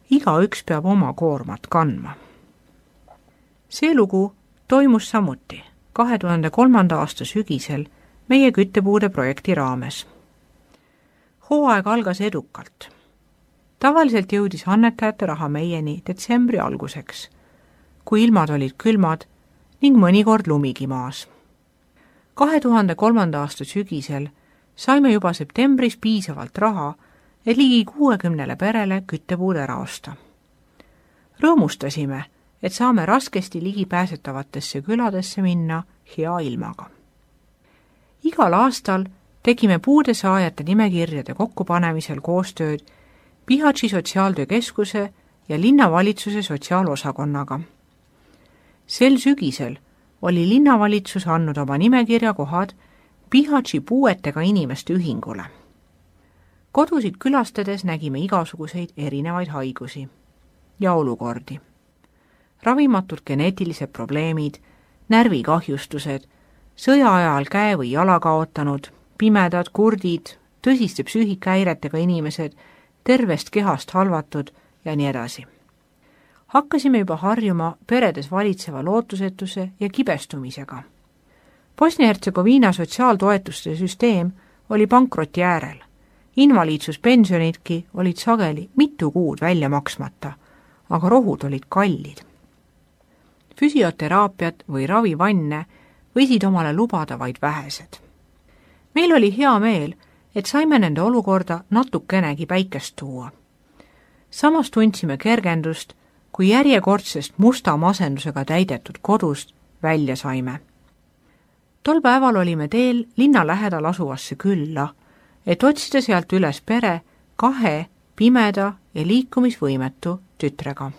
Igaüks peab oma koormat kandma. See lugu toimus samuti 2003. aasta sügisel meie küttepuude projekti raames. Hooaeg algas edukalt. Tavaliselt jõudis annetajate raha meieni detsembri alguseks, kui ilmad olid külmad ning mõnikord lumigi maas. 2003. aasta sügisel saime juba septembris piisavalt raha, et ligi 60 perele küttepuud ära osta. Rõõmustasime, et saame raskesti ligipääsetavatesse küladesse minna hea ilmaga. Igal aastal tegime puude saajate nimekirjade kokkupanemisel koostööd Bihaći sotsiaaltöökeskuse ja linnavalitsuse sotsiaalosakonnaga. Sel sügisel oli linnavalitsus andnud oma nimekirja kohad Bihaći puuetega inimeste ühingule. Kodusid külastades nägime igasuguseid erinevaid haigusi ja olukordi. Ravimatud geneetilised probleemid, närvikahjustused, sõja ajal käe või jala kaotanud, pimedad, kurdid, tõsiste psüühikahäiretega inimesed, tervest kehast halvatud ja nii edasi. Hakkasime juba harjuma peredes valitseva lootusetuse ja kibestumisega. Bosnia-Hertsegoviina sotsiaaltoetuste süsteem oli pankroti äärel. Invaliidsuspensionidki olid sageli mitu kuud välja maksmata, aga rohud olid kallid. Füsioteraapiat või ravivanne võisid omale lubada vaid vähesed. Meil oli hea meel, et saime nende olukorda natukenegi päikest tuua. Samas tundsime kergendust, kui järjekordsest musta masendusega täidetud kodust välja saime. Tol päeval olime teel linna lähedal asuvasse külla, et otsida sealt üles pere 2 pimeda ja liikumisvõimetu tütrega.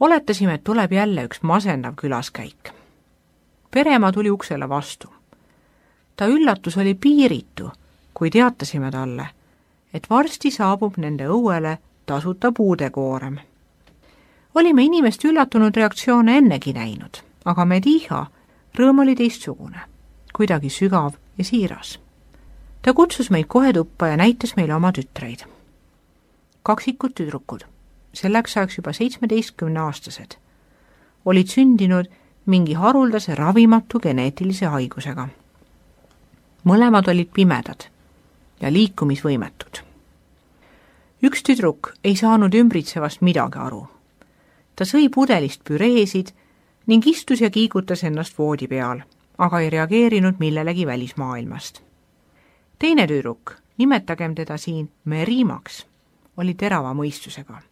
Oletasime, et tuleb jälle üks masendav külaskäik. Pereema tuli uksele vastu. Ta üllatus oli piiritu, kui teatasime talle, et varsti saabub nende õuele tasuta puudekoorem. Olime inimest üllatunud reaktsioone ennegi näinud, aga Mediha rõõm oli teistsugune, kuidagi sügav ja siiras. Ta kutsus meid kohe tuppa ja näitas meile oma tütreid. Kaksikud tüdrukud, selleks ajaks juba 17-aastased, olid sündinud mingi haruldase ravimatu geneetilise haigusega. Mõlemad olid pimedad ja liikumisvõimetud. Üks tüdruk ei saanud ümbritsevast midagi aru. Ta sõi pudelist püreesid ning istus ja kiigutas ennast voodi peal, aga ei reageerinud millelegi välismaailmast. Teine tüdruk, nimetagem teda siin Merimaks, oli terava mõistusega.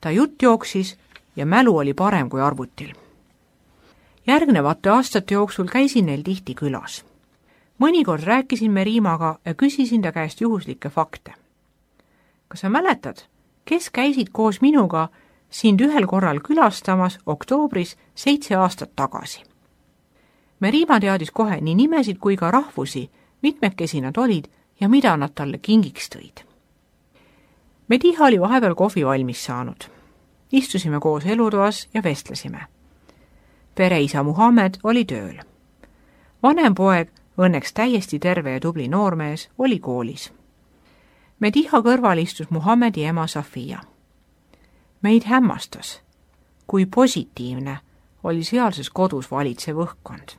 Ta jutt jooksis ja mälu oli parem kui arvutil. Järgnevate aastate jooksul käisin neil tihti külas. Mõnikord rääkisin Merimaga ja küsisin ta käest juhuslikke fakte. Kas sa mäletad, kes käisid koos minuga sind ühel korral külastamas oktoobris 7 aastat tagasi? Merima teadis kohe nii nimesid kui ka rahvusi, mitmekesi nad olid ja mida nad talle kingiks tõid. Mediha oli vahepeal kohvi valmis saanud. Istusime koos elutoas ja vestlesime. Pereisa Muhamed oli tööl. Vanem poeg, õnneks täiesti terve ja tubli noormees, oli koolis. Mediha kõrval istus Muhamedi ema Safia. Meid hämmastas, kui positiivne oli sealses kodus valitsev õhkkond.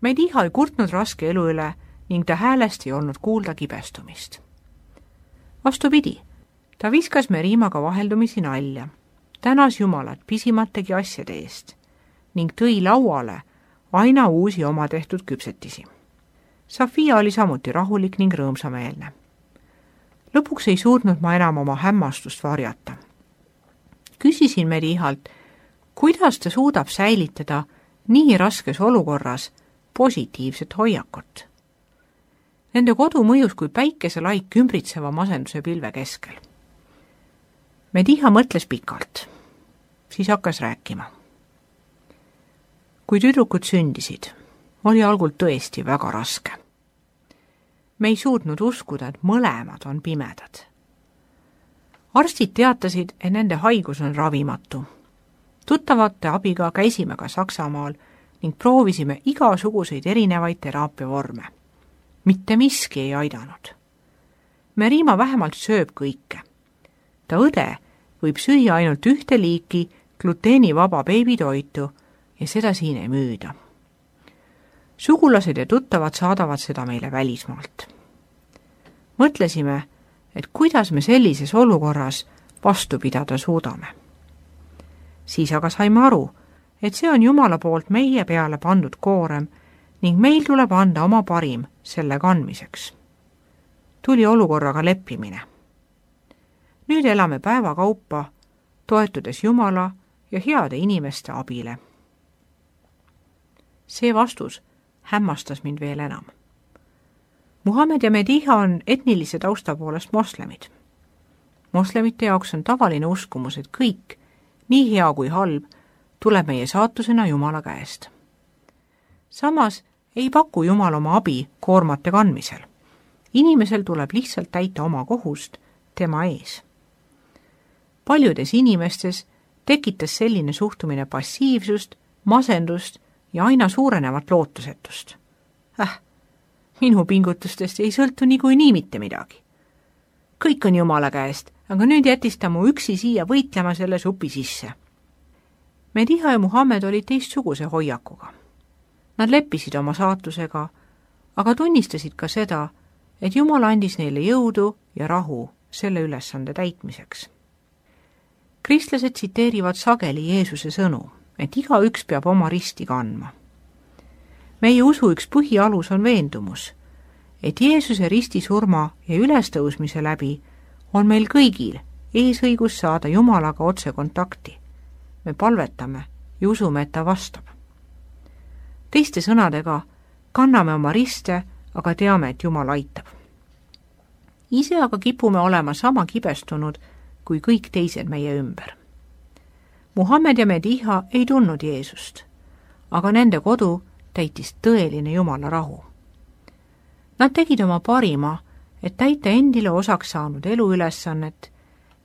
Mediha ei kurtnud raske elu üle ning ta häälest ei olnud kuulda kibestumist. Vastupidi, ta viskas Merimaga vaheldumisi nalja, tänas Jumalat pisimategi asjade eest ning tõi lauale aina uusi oma tehtud küpsetisi. Safia oli samuti rahulik ning rõõmsameelne. Lõpuks ei suutnud ma enam oma hämmastust varjata. Küsisin Medihalt, kuidas ta suudab säilitada nii raskes olukorras positiivset hoiakut. Nende kodu mõjus kui päikeselaik ümbritseva masenduse pilve keskel. Mediha mõtles pikalt, siis hakkas rääkima. Kui tüdrukud sündisid, oli algul tõesti väga raske. Me ei suutnud uskuda, et mõlemad on pimedad. Arstid teatasid, et nende haigus on ravimatu. Tuttavate abiga käisime ka Saksamaal ning proovisime igasuguseid erinevaid teraapiavorme. Mitte miski ei aidanud. Merima vähemalt sööb kõike. ta õde võib süüa ainult ühte liiki gluteenivaba beebitoitu ja seda siin ei müüda. Sugulased ja tuttavad saadavad seda meile välismaalt. Mõtlesime, et kuidas me sellises olukorras vastu pidada suudame. Siis aga saime aru, et see on Jumala poolt meie peale pandud koorem ning meil tuleb anda oma parim selle kandmiseks. Tuli olukorraga leppimine. Nüüd elame päeva kaupa, toetudes Jumala ja heade inimeste abile. See vastus hämmastas mind veel enam. Muhamed ja Mediha on etnilise tausta poolest moslemid. Moslemite jaoks on tavaline uskumus, et kõik, nii hea kui halb, tuleb meie saatusena Jumala käest. Samas ei paku Jumal oma abi koormate kandmisel. Inimesel tuleb lihtsalt täita oma kohust tema ees. Paljudes inimestes tekitas selline suhtumine passiivsust, masendust ja aina suurenevat lootusetust. Minu pingutustest ei sõltu niikuinii mitte midagi. Kõik on Jumala käest, aga nüüd jättis ta mu üksi siia võitlema selle supi sisse. Mediha ja Muhamed olid teistsuguse hoiakuga. Nad leppisid oma saatusega, aga tunnistasid ka seda, et Jumal andis neile jõudu ja rahu selle ülesande täitmiseks. Kristlased tsiteerivad sageli Jeesuse sõnu, et igaüks peab oma risti kandma. Meie usu üks põhialus on veendumus, et Jeesuse ristisurma ja ülestõusmise läbi on meil kõigil eesõigus saada Jumalaga otse kontakti. Me palvetame ja usume, et ta vastab. Teiste sõnadega kanname oma riste, aga teame, et Jumal aitab. Ise aga kipume olema sama kibestunud kui kõik teised meie ümber. Muhamed ja Mediha ei tundnud Jeesust, aga nende kodu täitis tõeline Jumala rahu. Nad tegid oma parima, et täita endile osaks saanud eluülesannet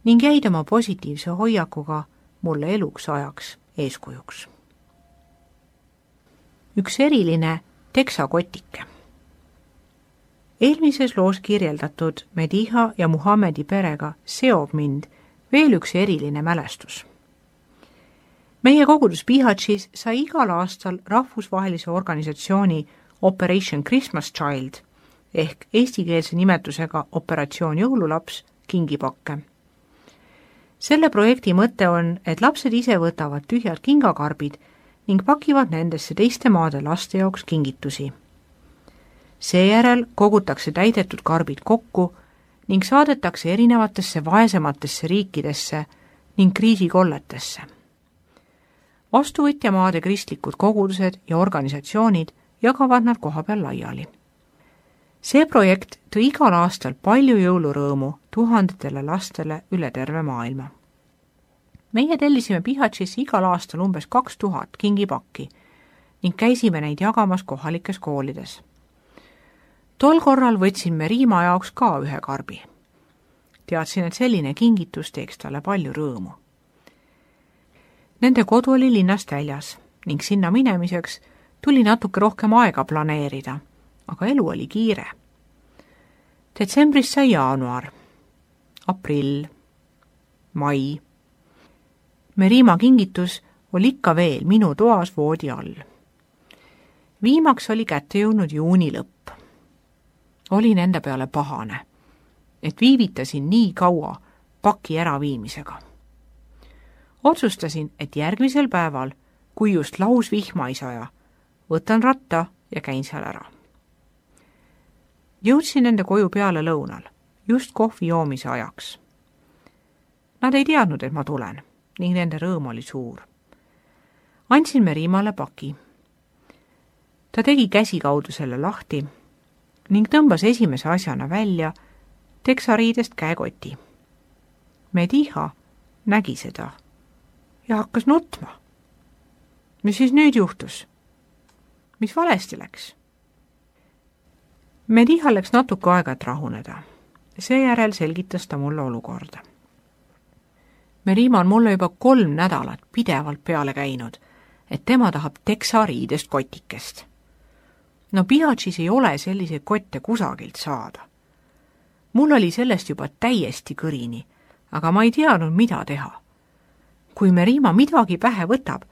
ning jäid oma positiivse hoiakuga mulle eluks ajaks eeskujuks. Üks eriline teksakotike. Eelmises loos kirjeldatud Mediha ja Muhamedi perega seob mind veel üks eriline mälestus. Meie kogudus Bihatšis sai igal aastal rahvusvahelise organisatsiooni Operation Christmas Child ehk eestikeelse nimetusega Operatsioon Jõululaps kingipakke. Selle projekti mõte on, et lapsed ise võtavad tühjad kingakarbid ning pakivad nendesse teiste maade laste jaoks kingitusi. Seejärel kogutakse täidetud karbid kokku ning saadetakse erinevatesse vaesematesse riikidesse ning kriisikolletesse. Vastuvõtjamaade kristlikud kogudused ja organisatsioonid jagavad nad kohapeal laiali. See projekt tõi igal aastal palju jõulurõõmu tuhandetele lastele üle terve maailma. Meie tellisime Bihatšis igal aastal umbes 2000 kingipakki ning käisime neid jagamas kohalikes koolides. Tol korral võtsin Merima jaoks ka ühe karbi. Teadsin, et selline kingitus teeks talle palju rõõmu. Nende kodu oli linnast väljas ning sinna minemiseks tuli natuke rohkem aega planeerida, aga elu oli kiire. Detsembris sai jaanuar, aprill, mai. Merima kingitus oli ikka veel minu toas voodi all. Viimaks oli kätte jõudnud juuni lõpp. Olin enda peale pahane, et viivitasin nii kaua paki äraviimisega. Otsustasin, et järgmisel päeval, kui just lausvihma ei saja, võtan ratta ja käin seal ära. Jõudsin nende koju peale lõunal, just kohvi joomise ajaks. Nad ei teadnud, et ma tulen ning nende rõõm oli suur. Andsin Merimale paki. Ta tegi käsikaudu selle lahti ning tõmbas esimese asjana välja teksariidest käekoti. Mediha nägi seda ja hakkas nutma. Mis siis nüüd juhtus? Mis valesti läks? Mediha läks natuke aega, et rahuneda. Seejärel selgitas ta mulle olukorda. Merima on mulle juba 3 nädalat pidevalt peale käinud, et tema tahab teksariidest kotikest. No Bihatšis ei ole selliseid kotte kusagilt saada. Mul oli sellest juba täiesti kõrini, aga ma ei teadnud, mida teha. Kui Merima midagi pähe võtab,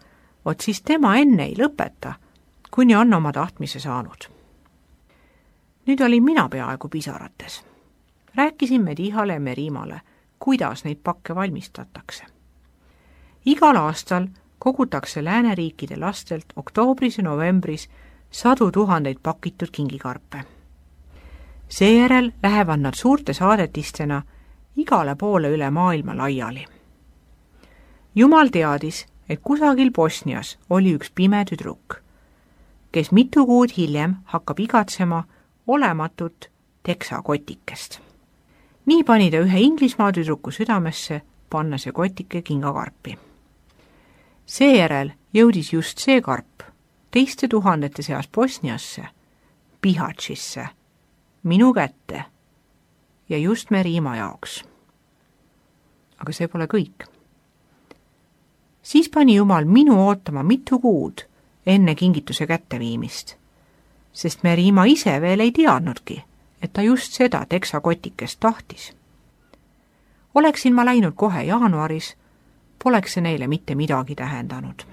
vot siis tema enne ei lõpeta, kuni on oma tahtmise saanud. Nüüd olin mina peaaegu pisarates. Rääkisin Medihale ja Merimale, kuidas neid pakke valmistatakse. Igal aastal kogutakse lääneriikide lastelt oktoobris ja novembris 100 000 pakitud kingikarpe. Seejärel lähevad nad suurte saadetistena igale poole üle maailma laiali. Jumal teadis, et kusagil Bosnias oli üks pime tüdruk, kes mitu kuud hiljem hakkab igatsema olematut teksakotikest. Nii pani ta ühe Inglismaa tüdruku südamesse panna see kotike kingakarpi. Seejärel jõudis just see karp teiste tuhandete seas Bosniasse, Bihaćisse, minu kätte ja just Merima jaoks. Aga see pole kõik. Siis pani Jumal minu ootama mitu kuud enne kingituse kätteviimist, sest Merima ise veel ei teadnudki, et ta just seda teksakotikest tahtis. Oleksin ma läinud kohe jaanuaris, poleks see neile mitte midagi tähendanud.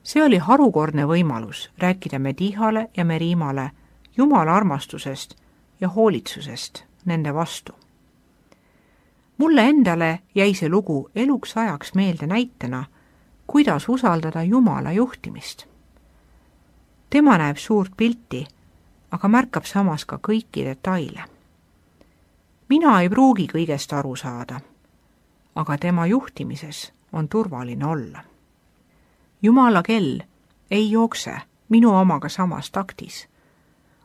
See oli harukordne võimalus rääkida Medihale ja Merimale Jumala armastusest ja hoolitsusest nende vastu. Mulle endale jäi see lugu eluks ajaks meelde näitena, kuidas usaldada Jumala juhtimist. Tema näeb suurt pilti, aga märkab samas ka kõiki detaile. Mina ei pruugi kõigest aru saada, aga tema juhtimises on turvaline olla. Jumala kell ei jookse minu omaga samas taktis,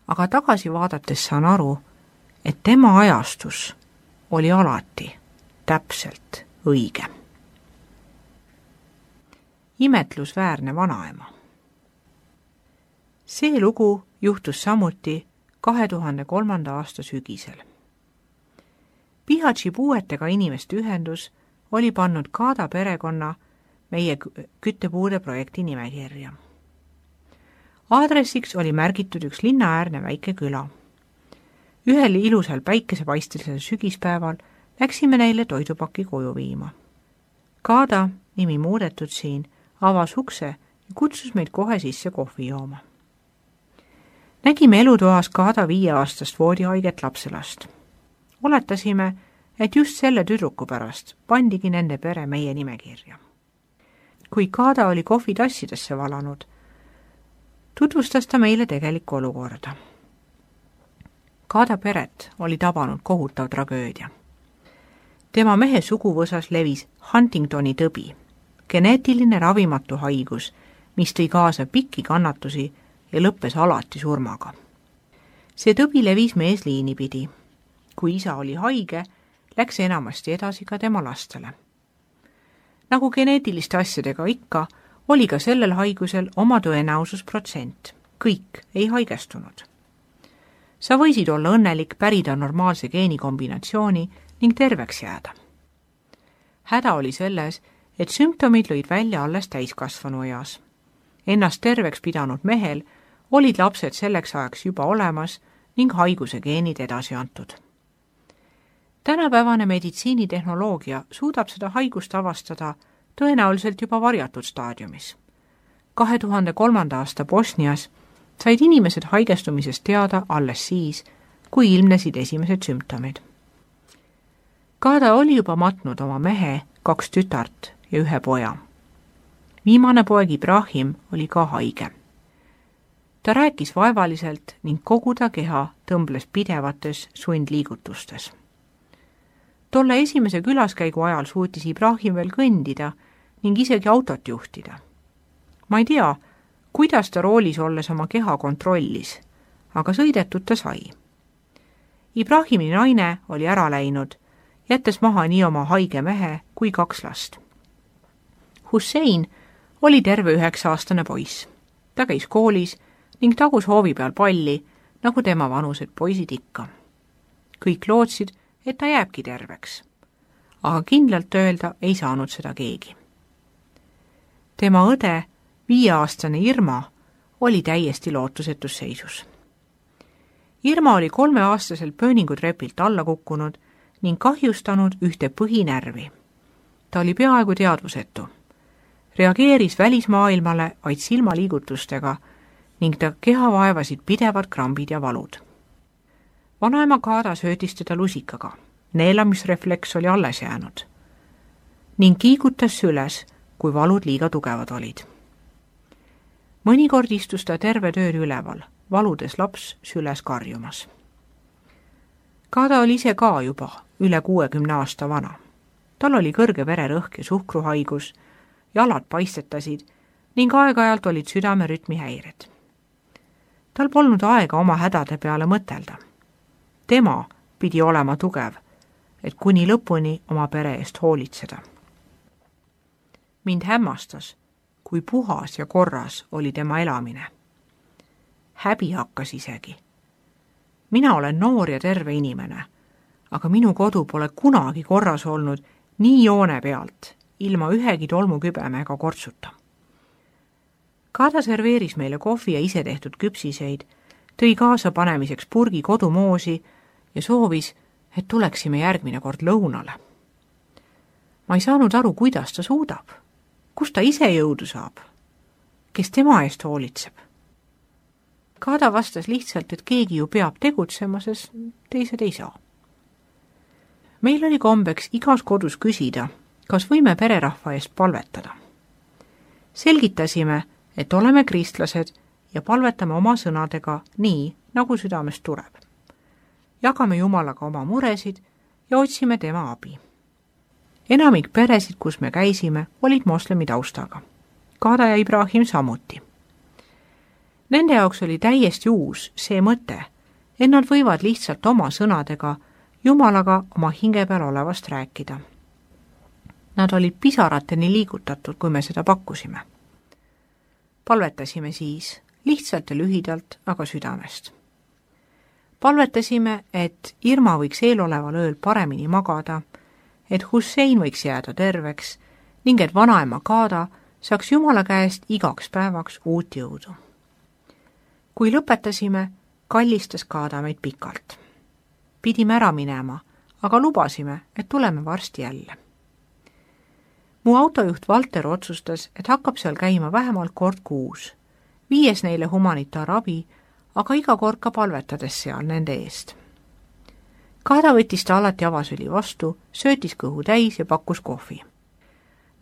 aga tagasi vaadates saan aru, et tema ajastus oli alati täpselt õige. Imetlusväärne vanaema. See lugu juhtus samuti 2003. aasta sügisel. Bihaći puuetega inimeste ühendus oli pannud Kaada perekonna meie küttepuude projekti nimekirja. Aadressiks oli märgitud üks linnaäärne väike küla. Ühel ilusal päikesepaistelisel sügispäeval läksime neile toidupaki koju viima. Kaada, nimi muudetud siin, avas ukse ja kutsus meid kohe sisse kohvi jooma. Nägime elutoas Kaada 5-aastast voodihaiget lapselast. Oletasime, et just selle tüdruku pärast pandigi nende pere meie nimekirja. Kui Kaada oli kohvitassidesse valanud, tutvustas ta meile tegelikku olukorda. Kaada peret oli tabanud kohutav tragöödia. Tema mehe suguvõsas levis Huntingtoni tõbi, geneetiline ravimatu haigus, mis tõi kaasa pikki kannatusi ja lõppes alati surmaga. See tõbi levis meesliini pidi. Kui isa oli haige, läks enamasti edasi ka tema lastele. Nagu geneetiliste asjadega ikka, oli ka sellel haigusel oma tõenäosusprotsent. Kõik ei haigestunud. Sa võisid olla õnnelik, pärida normaalse geenikombinatsiooni ning terveks jääda. Häda oli selles, et sümptomid lõid välja alles täiskasvanu eas. Ennast terveks pidanud mehel olid lapsed selleks ajaks juba olemas ning haiguse geenid edasi antud. Tänapäevane meditsiinitehnoloogia suudab seda haigust avastada tõenäoliselt juba varjatud staadiumis. 2003. aasta Bosnias said inimesed haigestumisest teada alles siis, kui ilmnesid esimesed sümptomid. Kaada oli juba matnud oma mehe, 2 tütart ja 1 poja. Viimane poeg Ibrahim oli ka haige. Ta rääkis vaevaliselt ning kogu ta keha tõmbles pidevates sundliigutustes. Tolle esimese külaskäigu ajal suutis Ibrahim veel kõndida ning isegi autot juhtida. Ma ei tea, kuidas ta roolis olles oma keha kontrollis, aga sõidetud ta sai. Ibrahimi naine oli ära läinud, jättes maha nii oma haige mehe kui 2 last. Hussein oli terve 9-aastane poiss. Ta käis koolis ning tagus hoovi peal palli, nagu tema vanused poisid ikka. Kõik lootsid, et ta jääbki terveks. Aga kindlalt öelda ei saanud seda keegi. Tema õde, 5-aastane Irma, oli täiesti lootusetus seisus. Irma oli 3-aastaselt pööningutrepilt alla kukkunud ning kahjustanud ühte põhinärvi. Ta oli peaaegu teadvusetu. Reageeris välismaailmale vaid silmaliigutustega ning ta keha vaevasid pidevad krambid ja valud. Vanaema Kaada söötis teda lusikaga, neelamisrefleks oli alles jäänud ning kiigutas süles, kui valud liiga tugevad olid. Mõnikord istus ta terve ööd üleval, valudes laps süles karjumas. Kaada oli ise ka juba üle 60 aasta vana. Tal oli kõrge vererõhk ja suhkruhaigus, jalad paistetasid ning aeg-ajalt olid südamerütmi häired. Tal polnud aega oma hädade peale mõtelda. Tema pidi olema tugev, et kuni lõpuni oma pere eest hoolitseda. Mind hämmastas, kui puhas ja korras oli tema elamine. Häbi hakkas isegi. Mina olen noor ja terve inimene, aga minu kodu pole kunagi korras olnud nii joone pealt, ilma ühegi tolmukübeme ega kortsuta. Kaada serveeris meile kohvi ja ise tehtud küpsiseid, tõi kaasa panemiseks purgi kodumoosi ja soovis, et tuleksime järgmine kord lõunale. Ma ei saanud aru, kuidas ta suudab. Kust ta ise jõudu saab? Kes tema eest hoolitseb? Kaada vastas lihtsalt, et keegi ju peab tegutsema, sest teised ei saa. Meil oli kombeks igas kodus küsida, kas võime pererahva eest palvetada. Selgitasime, et oleme kristlased ja palvetame oma sõnadega nii, nagu südamest tuleb. Jagame Jumalaga oma muresid ja otsime tema abi. Enamik peresid, kus me käisime, olid moslemi taustaga. Kaada ja Ibrahim samuti. Nende jaoks oli täiesti uus see mõte, et nad võivad lihtsalt oma sõnadega Jumalaga oma hinge peal olevast rääkida. Nad olid pisarateni liigutatud, kui me seda pakkusime. Palvetasime siis, lihtsalt ja lühidalt, aga südamest. Palvetasime, et Irma võiks eeloleval ööl paremini magada, et Hussein võiks jääda terveks ning et vanaema Kaada saaks Jumala käest igaks päevaks uut jõudu. Kui lõpetasime, kallistas Kaada meid pikalt. Pidime ära minema, aga lubasime, et tuleme varsti jälle. Mu autojuht Valter otsustas, et hakkab seal käima vähemalt kord kuus, viies neile humanitaarabi, aga iga kord ka palvetades seal nende eest. Kaada võttis ta alati avasüli vastu, söötis kõhu täis ja pakkus kohvi.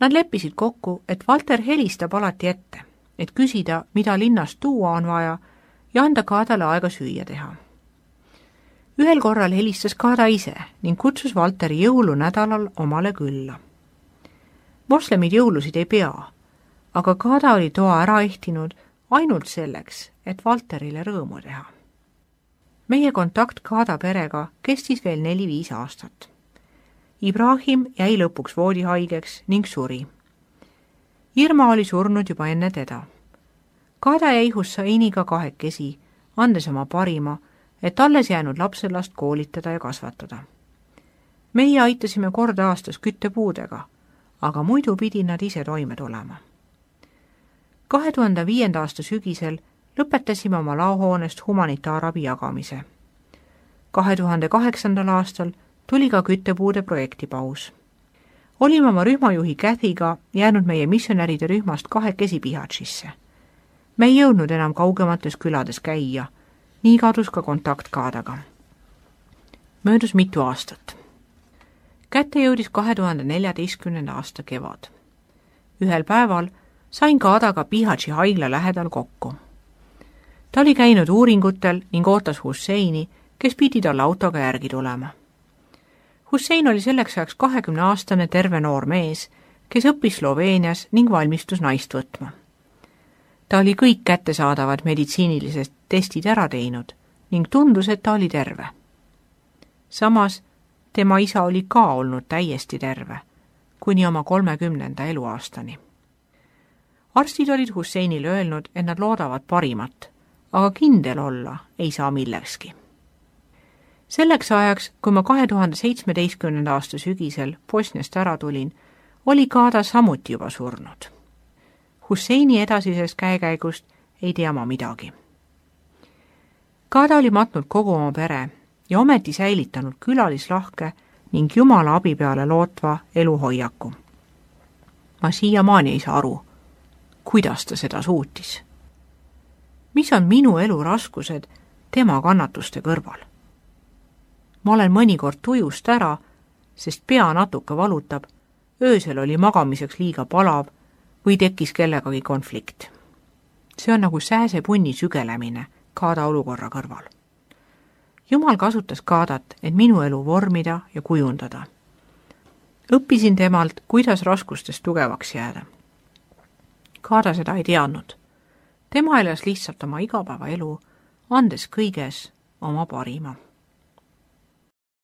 Nad leppisid kokku, et Valter helistab alati ette, et küsida, mida linnast tuua on vaja ja anda Kaadale aega süüa teha. Ühel korral helistas Kaada ise ning kutsus Valteri jõulunädalal omale külla. Moslemid jõulusid ei pea, aga Kaada oli toa ära ehtinud ainult selleks, et Valterile rõõmu teha. Meie kontakt Kaada perega kestis veel 4-5 aastat. Ibrahim jäi lõpuks voodihaigeks ning suri. Irma oli surnud juba enne teda. Kaada jäi Husseiniga kahekesi, andes oma parima, et alles jäänud lapselast koolitada ja kasvatada. Meie aitasime kord aastas küttepuudega, aga muidu pidi nad ise toime tulema. 2005. aasta sügisel lõpetasime oma laohoonest humanitaarabi jagamise. 2008. aastal tuli ka küttepuude projektipaus. Olime oma rühmajuhi Kathyga jäänud meie missionäride rühmast kahekesi Bihaćisse. Me ei jõudnud enam kaugemates külades käia, nii kadus ka kontakt Kaadaga. Möödus mitu aastat. Kätte jõudis 2014. aasta kevad. Ühel päeval sain Kaadaga Bihaći haigla lähedal kokku. Ta oli käinud uuringutel ning ootas Husseini, kes pidi talle autoga järgi tulema. Hussein oli selleks ajaks 20-aastane terve noor mees, kes õppis Sloveenias ning valmistus naist võtma. Ta oli kõik kättesaadavad meditsiinilised testid ära teinud ning tundus, et ta oli terve. Samas tema isa oli ka olnud täiesti terve, kuni oma 30. eluaastani. Arstid olid Husseinile öelnud, et nad loodavad parimat, aga kindel olla ei saa millekski. Selleks ajaks, kui ma 2017. aasta sügisel Bosniast ära tulin, oli Kaada samuti juba surnud. Husseini edasisest käekäigust ei tea ma midagi. Kaada oli matnud kogu oma pere ja ometi säilitanud külalislahke ning Jumala abi peale lootva eluhoiaku. Ma siiamaani ei saa aru, kuidas ta seda suutis. Mis on minu elu raskused tema kannatuste kõrval? Ma olen mõnikord tujust ära, sest pea natuke valutab, öösel oli magamiseks liiga palav või tekkis kellegagi konflikt. See on nagu sääsepunni sügelemine Kaada olukorra kõrval. Jumal kasutas Kaadat, et minu elu vormida ja kujundada. Õppisin temalt, kuidas raskustest tugevaks jääda. Kaada seda ei teadnud. Tema elas lihtsalt oma igapäevaelu, andes kõiges oma parima.